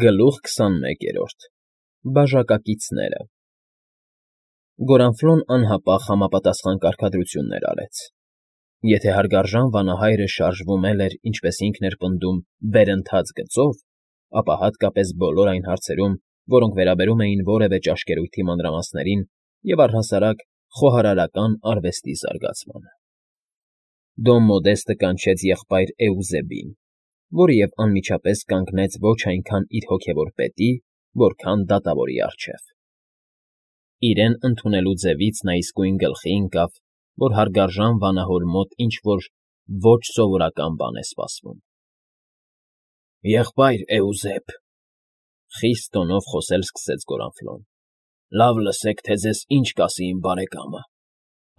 Գլուխ 21 Բաժակակիցները Գորանֆլոն անհապաղ համապատասխան կարգադրություններ արեց. եթե հարգարժան վանահայրը շարժվում էր, ինչպես ինքն էր պնդում, վերընթաց գծով, ապա հատկապես բոլոր այն հարցերում, որոնք վերաբերում էին որևէ ճաշկերույթի մանրամասներին և առհասարակ խոհարարական արվեստի զարգացմանը։ Դոն Մոդեստը կանչեց եղբայր Էուզեբին, որը և անմիջապես կանգնեց ոչ այնքան իր հոգևոր պետի, որքան դատավորի առջև։ Իրեն ընդունելու ձևից նա իսկույն գլխի ընկավ, որ հարգարժան վանահոր մոտ ինչ-որ ոչ սովորական բան է սպասվում։ ֊ Եղբայր Էուզեբ,֊ խիստ տոնով խոսել սկսեց Գորանֆլոն,֊ լավ լսեք, թե ձեզ ինչ կասի իմ բարեկամը,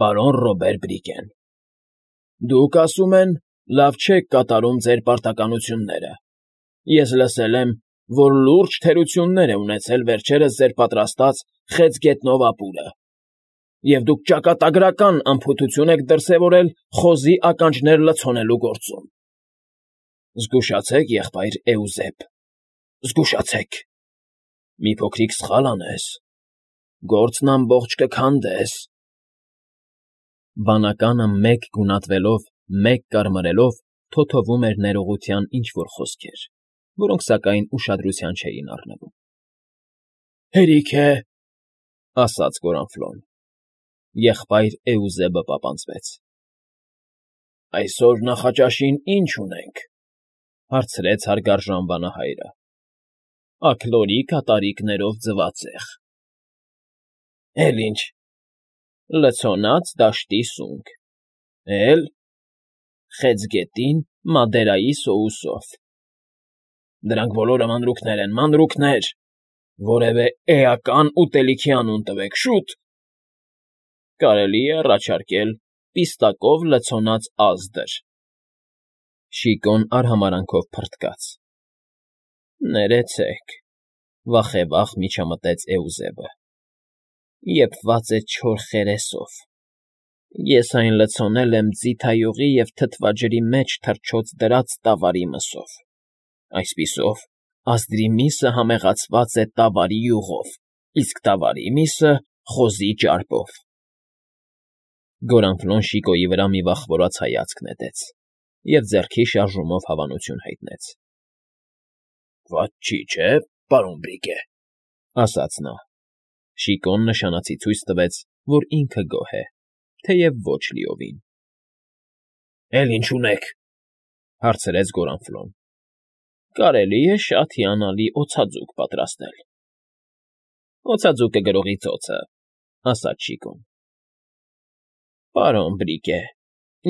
պարոն Ռոբեր Բրիգեն. դուք, ասում են, լավ չեք կատարում ձեր պարտականությունները. ես լսել եմ, որ լուրջ թերություններ է ունեցել վերջերս ձեր պատրաստած Խեցգետնով ապուրը, և դուք ճակատագրական անփութություն եք դրսևորել խոզի ականջներ լցոնելու գործում։ Զգուշացեք, եղբայր Էուզեբ, զգուշացեք, մի փոքրիկ սխալ անես, գործն ամբողջ կքանդես։ Բանականը մեկ գունատվելով, մեկ կարմրելով թոթովում էր ներողության ինչ֊որ խոսքեր, որոնք, սակայն, ուշադրության չէին առնվում։ ֊ Հերիք է,֊ ասաց Գորանֆլոն։ Եղբայր Էուզեբը պապանձվեց։ ֊ Այսօր նախաճաշին ի՞նչ ունենք,֊ հարցրեց հարգարժան վանահայրը։ ֊ Աքլորի կատարիկներով ձվածեղ։ ֊ Էլ ինչ,֊ լցոնած դաշտի սունկ։ ֊ Էլ… խեցգետին մադերայի սոուսով։ ֊ Դրանք բոլորը մանրուքներ են, մանրուքներ… Որևէ էական ուտելիքի անուն տվեք, շուտ… ֊ Կարելի է առաջարկել պիստակով լցոնած ազդր։ Շիկոն արհամարհանքով փռթկաց։ ֊ Ներեցեք,֊ վախևաղ միջամտեց Էուզեբը,֊ եփված է չոր խերեսով։ Ես այն լցոնել եմ ձիթայուղի և թթվաջրի մեջ թռչոց դրած տավարի մսով, այսպիսով, ազդրի միսը համեղացված է տավարի յուղով, իսկ տավարի միսը՝ խոզի ճարպով։ Գորանֆլոն Շիկոյի վրա մի վախվորած հայացք նետեց և ձեռքի շարժումով հավանություն հայտնեց։ ֊ Վատ չի, չէ՞, պարոն Բրիգե,֊ ասաց նա։ Շիկոն նշանացի ցույց տվեց, որ ինքը գոհ է, թեև ոչ լիովին։ ֊ Էլ ինչ ունեք,֊ հարցրեց Գորանֆլոն։ ֊ Կարելի է շատ հիանալի օձաձուկ պատրաստել։ ֊ Օձաձուկը գրողի ծոցը,֊ ասաց Շիկոն։ ֊ Պարոն Բրիգե,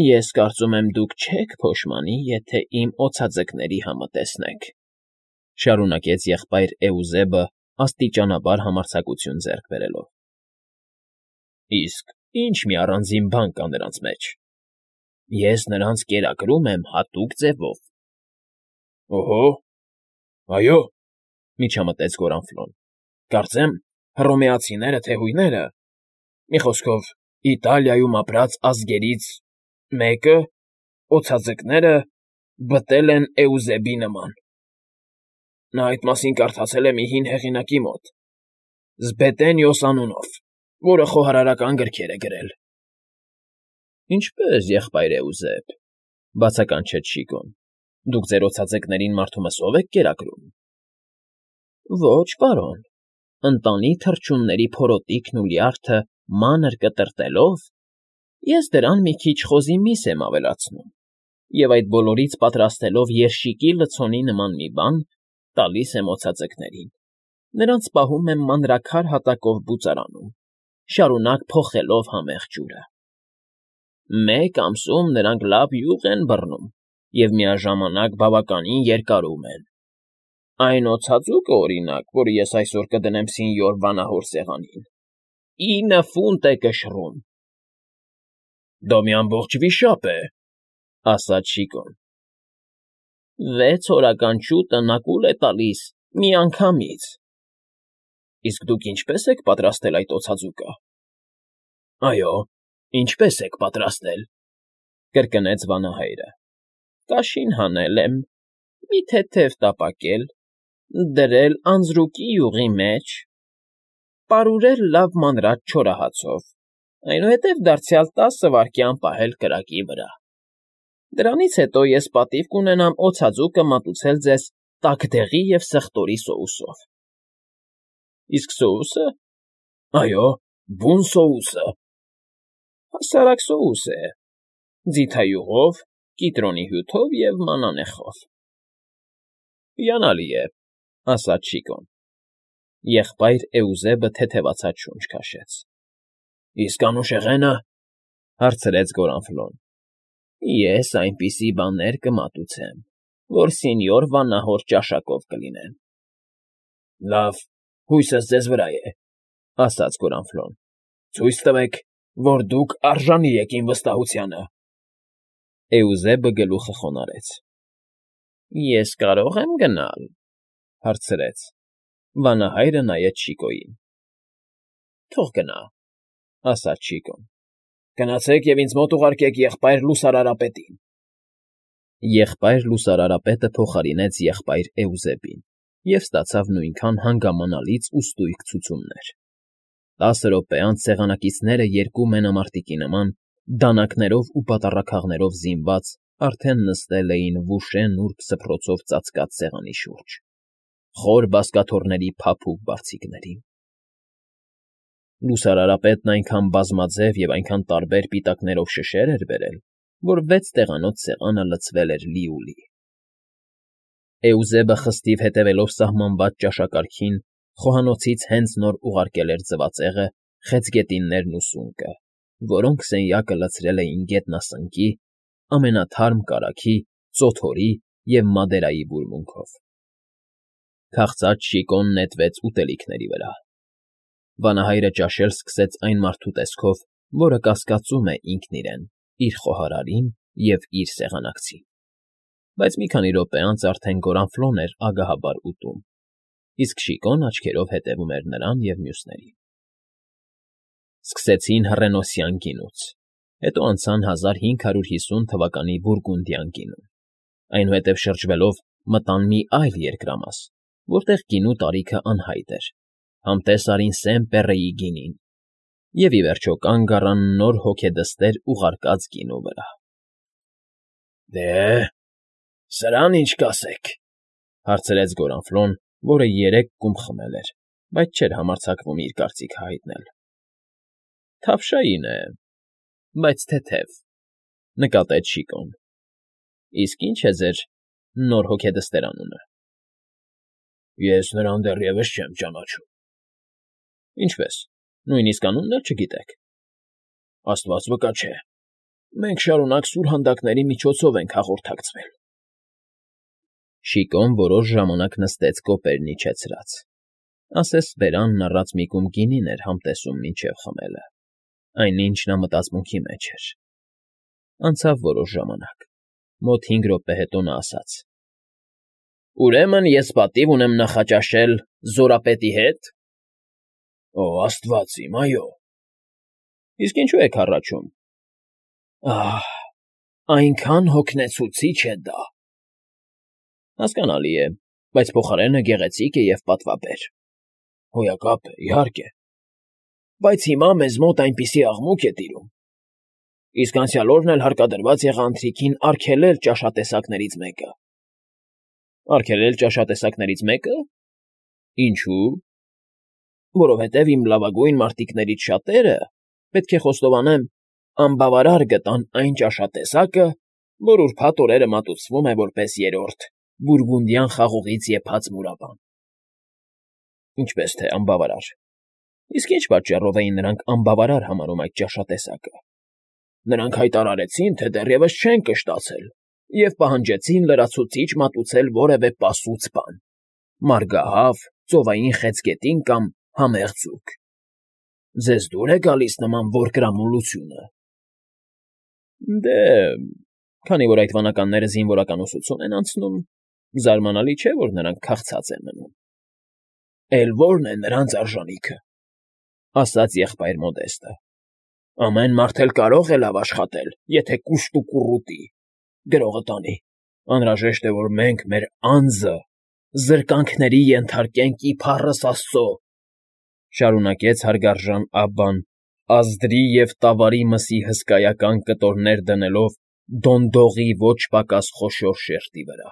ես կարծում եմ, դուք չեք փոշմանի, եթե իմ օձաձկների համը տեսնեք,֊ շարունակեց եղբայր Էուզեբը աստիճանաբար համարձակություն ձեռք բերելով։ ֊ Իսկ ի՞նչ մի առանձին բան կա նրանց մեջ։ Ես նրանց կերակրում եմ հատուկ ձևով։ ֊ Օհո, այո,֊ միջամտեց Գորանֆլոն,֊ կարծեմ, հռոմեացիները թե հույները, մի խոսքով, Իտալիայում ապրած ազգերից մեկը, օձաձկները բտել են Էուզեբի նման։ Նա այդ մասին կարդացել է մի հին հեղինակի մոտ, Զբետենիոս անունով, որը խոհարարական գրքեր է գրել։ ֊ Ինչպե՞ս, եղբայր Էուզեբ,֊ բացականչեց Շիկոն,֊ դուք ձեր օձաձկներին մարդու մսով եք կերակրում։ ֊ Ոչ, պարոն, ընտանի թռչունների փորոտիքն ու լյարդը մանր կտրտելով, ես դրան մի քիչ խոզի միս եմ ավելացնում և այդ բոլորից պատրաստելով երշիկի լցոնի նման մի բան, տալիս եմ օձաձկներին, նրանց պահում եմ մանրաքար հատակով բուծարանում, շարունակ փոխելով համեղ ջուրը։ Մեկ ամսում նրանք լավ յուղ են բռնում և միաժամանակ բավականին երկարում են։ Այն օձաձուկը, օրինակ, որը ես այսօր կդնեմ սինյոր վանահոր սեղանին, 9 ֆունտ է կշռում։ ֊ Դա մի ամբողջ վիշապ է,֊ ասաց Շիկոն։ ֊ 6 օրական շուտը նա կուլ է տալիս միանգամից։ ֊ Իսկ դուք ինչպե՞ս եք պատրաստել այդ օձաձուկը։ ֊ Այո, ինչպե՞ս եք պատրաստել,֊ կրկնեց վանահայրը։ ֊ Կաշին հանել եմ, մի թեթև տապակել, դրել անձրուկի յուղի մեջ, պարուրել լավ մանրած չորահացով, այնուհետև դարձյալ 10 վայրկյան պահել կրակի վրա։ Դրանից հետո ես պատիվ կունենամ օձաձուկը մատուցել ձեզ տաքդեղի և սխտորի սոուսով։ Իսկ սոուսը։ Այո, բուն սոուսը։ Հասարակ սոուս է, ձիթայուղով, կիտրոնի հյութով և մանանեխով։ Հիանալի է, ասաց Շիկոն։ Եղբայր Էուզեբը թեթևացած շունչ քաշեց։ Իսկ անուշեղենը, հարցրեց Գորանֆլոն։ Ես այնպիսի բաներ կմատուցեմ, որ սենյոր վանահոր ճաշակով կլինեն։ Լավ, հույսս ձեզ վրա է, ասաց Գորանֆլոն։ Ցույց տվեք, որ դուք արժանի եք իմ վստահությանը։ Էուզեբը գլուխը խոնարհեց։ Ես կարող եմ գնալ, հարցրեց։ Վանահայրը նայեց Շիկոյին։ Թող գնա, ասաց Շիկոն։ Գնացեք և ինձ մոտ ուղարկեք եղբայր լուսարարապետին։ Եղբայր լուսարարապետը փոխարինեց եղբայր Էուզեբին և ստացավ նույնքան հանգամանալից ու ստույգ ցուցումներ։ 10 րոպե անց սեղանակիցները երկու մենամարտիկի նման, դանակներով ու պատառաքաղներով զինված, արդեն նստել էին վուշե նուրբ սփռոցով ծածկած սեղանի շուրջ, խոր բազկաթոռների փափուկ բարձիկներին։ Լուսարարապետն այնքան բազմաձև և այնքան տարբեր պիտակներով շշեր էր բերել, որ 6 տեղանոց սեղանը լցվել էր լիուլի։ Էուզեբը խստիվ հետևելով սահմանված ճաշակարգին, խոհանոցից հենց նոր ուղարկել էր ձվածեղը, խեցգետիններն ու սունկը, որոնք սենյակը լցրել էին գետնասնկի, ամենաթարմ կարագի, ծոթորի և մադերայի բուրմունքով։ Քաղցած Շիկոն նետվեց ուտելիքների վրա։ Վանահայրը ճաշել սկսեց այն մարդու տեսքով, որը կասկածում է ինքն իրեն, իր խոհարարին և իր սեղանակցին։ Բայց մի քանի րոպե անց արդեն Գորանֆլոն էր ագահաբար ուտում, իսկ Շիկոն աչքերով հետևում էր նրան և մյուսներին։ Սկսեցին հռենոսյան գինուց, հետո անցան 1550 թվականի բուրգունդյան գինուն, այնուհետև շրջվելով մտան մի այլ երկրամաս, որտեղ գինու տարիքը անհայտ էր, համտես արին Սեն֊Պեռեի գինին և ի վերջո կանգ առան նոր հոգեդստեր ուղարկած գինու վրա։ Դե, սրան ինչ կասեք, հարցրեց Գորանֆլոն, որը 3 կում խմել էր, բայց չէր համարձակվում իր կարծիքը հայտնել։ Թավշային է, բայց թեթև, նկատեց Շիկոն։ Իսկ ինչ է ձեր նոր հոգեդստեր անունը։ Ես նրան դեռևս չեմ ճանաչում։ Ինչպես, նույնիսկ անունն էլ չգիտեք։ Աստված վկա չէ, մենք շարունակ սուրհանդակների միջոցով ենք հաղորդակցվել։ Շիկոն որոշ ժամանակ նստեց կոպերն իջեցրած, ասես բերանն առած մի կում գինին էր համտեսում մինչև խմելը, այնինչ նա մտածմունքի մեջ էր։ Անցավ որոշ ժամանակ, մոտ 5 րոպե հետո նա ասաց. Ուրեմն ես պատիվ ունեմ նախաճաշել զորապետի հետ։ Օ, Աստված իմ, այո։ Իսկ ինչու եք հառաչում։ Ահ, այնքան հոգնեցուցիչ է դա։ Հասկանալի է, բայց փոխարենը գեղեցիկ է և պատվաբեր։ Հոյակապ է, իհարկե։ Բայց հիմա մեզ մոտ այնպիսի աղմուկ է տիրում։ Իսկ անցյալ օրն էլ հարկադրված եղա ընթրիքին արգելել ճաշատեսակներից մեկը։ Արգելել ճաշատեսակներից մեկը։ Ինչու։ Որովհետև իմ լավագույն մարտիկներից շատերը, պետք է խոստովանեմ, անբավարար գտան այն ճաշատեսակը, որ ուրբաթ օրերը մատուցվում է որպես երրորդ, բուրգունդյան խաղողից եփած մուրաբան։ Ինչպես թե անբավարար։ Իսկ ինչ պատճառով էին նրանք անբավարար համարում այդ ճաշատեսակը։ Նրանք հայտարարեցին, թե դեռևս չեն կշտացել և պահանջեցին լրացուցիչ մատուցել որևէ պասուծ բան՝ մարգահավ, ծովային խեցգետին կամ համեղ ձուկ։ Ձեզ դուր է գալիս նման որկրամոլությունը։ Դե, քանի որ այդ վանականները զինվորական ուսուցում են անցնում, զարմանալի չէ, որ նրանք քաղցած են մնում։ Էլ ո՞րն է նրանց արժանիքը, ասաց եղբայր Մոդեստը։ Ամեն մարդ էլ կարող է լավ աշխատել, եթե կուշտ ու կուռուտի, գրողը տանի։ Անհրաժեշտ է, որ մենք մեր անձը զրկանքների ենթարկենք իբառս Աստծո,֊ շարունակեց հարգարժան Աբբան, ազդրի և տավարի մսի հսկայական կտորներ դնելով դոնդողի ոչ պակաս խոշոր շերտի վրա։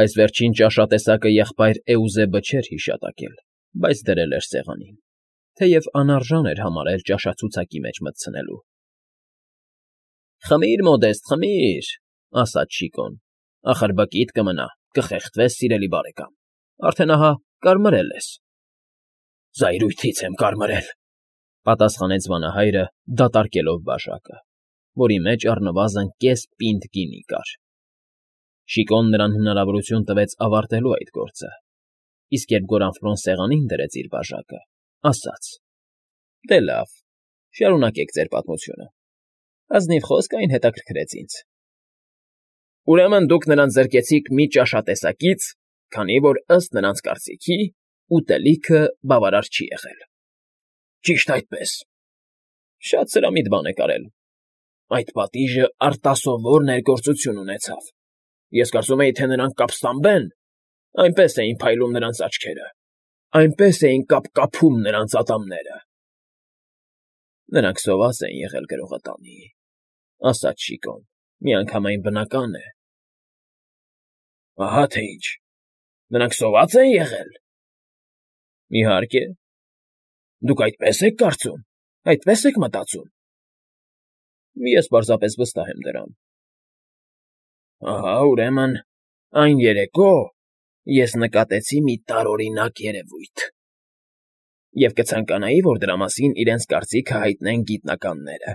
Այս վերջին ճաշատեսակը եղբայր Էուզեբը չէր հիշատակել, բայց դրել էր սեղանին, թեև անարժան էր համարել ճաշացուցակի մեջ մտցնելու։ «Խմի՛ր, մոդեստ, խմի՛ր,֊ ասաց Շիկոն,֊ ախր բկիդ կմնա, կխեղդվես, սիրելի բարեկամ, արդեն ահա կարմրել ես»։ «Զայրույթից եմ կարմրել,֊ պատասխանեց վանահայրը, դատարկելով բաժակը, որի մեջ առնվազն կես պինդ գինի կար։ Շիկոն նրան հնարավորություն տվեց ավարտելու այդ գործը, իսկ երբ Գորանֆլոն սեղանին դրեց իր բաժակը, ասաց. «Դե լավ, շարունակեք ձեր պատմությունը. ազնիվ խոսք այն հետաքրքրեց ինձ։ Ուրեմն դուք նրան զրկեցիք մի ճաշատեսակից, քանի որ ըստ նրանց կարծիքի ուտելիքը բավարար չի եղել»։ «Ճիշտ այդպես»։ «Շատ սրամիտ բան եք արել։ Այդ պատիժը արտասովոր ներգործություն ունեցավ։ Ես կարծում էի, թե նրանք կապստամբեն, այնպես էին փայլում նրանց աչքերը, այնպես էին կապկապում նրանց ատամները»։ «Նրանք սոված են եղել գրողատանի,֊ ասաց Շիկոն,֊ միանգամայն բնական է»։ «Ահա թե ինչ, նրանք սոված են եղել»։ «Իհարկե։ Դուք այդպես եք կարծում, այդպես եք մտածում»։ «Ես պարզապես վստահ եմ դրան»։ «Ահա, ուրեմն, այն երեկո ես նկատեցի մի տարօրինակ երևույթ և կցանկանայի, որ դրա մասին իրենց կարծիքը հայտնեն գիտնականները։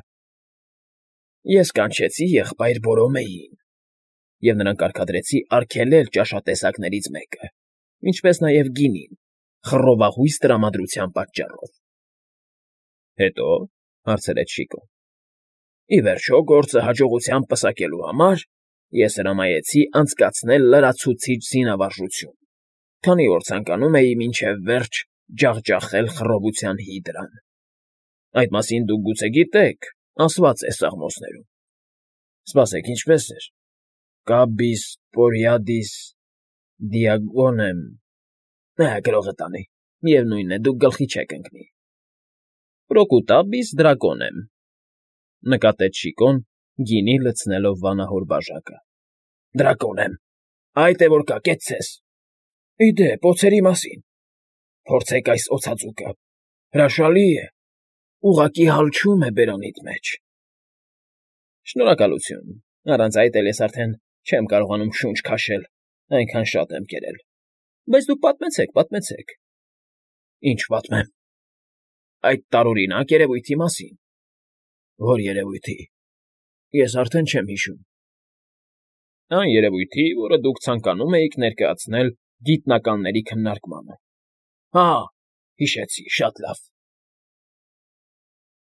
Ես կանչեցի եղբայր Բորոմեին և նրան կարգադրեցի արգելել ճաշատեսակներից մեկը, ինչպես նաև գինին, խռովաղույս տրամադրության պատճառով»։ «Հետո,֊ հարցրեց Շիկոն։ «Ի վերջո, գործը հաջողությամբ պսակելու համար ես հրամայեցի անցկացնել լրացուցիչ զինավարժություն, քանի որ ցանկանում էի մինչև վերջ ջախջախել խռովության հիդրան։ Այդ մասին դուք գուցե գիտեք, ասված է սաղմոսներում։ Սպասեք, ինչպե՞ս էր. Կաբիս պորիադիս դիագոնեմ… Գրողը տանի, միևնույն է, դուք գլխի չեք ընկնի։ Պրոկուտաբիս դրակոնեմ…֊ նկատեց Շիկոն, գինի լցնելով վանահոր բաժակը։ Դրակոնեմ… Այդ է որ կա, կեցցես… Ի դեպ, օձերի մասին… Փորձեք այս օձածուկը… Հրաշալի է… Ուղղակի հալչում է բերանիդ մեջ… Շնորհակալություն, առանց այդ էլ ես արդեն չեմ կարողանում շունչ քաշել, այնքան շատ եմ կերել… Բայց դուք պատմեցեք, պատմեցեք… Ինչ պատմեմ… Այդ տարօրինակ երևույթի մասին… Ո՞ր երևույթի… Ես արդեն չեմ հիշում… Այն երևույթի, որը դուք ցանկանում էիք ներկայացնել գիտնականների քննարկմանը… Հիշեցի, շատ լավ…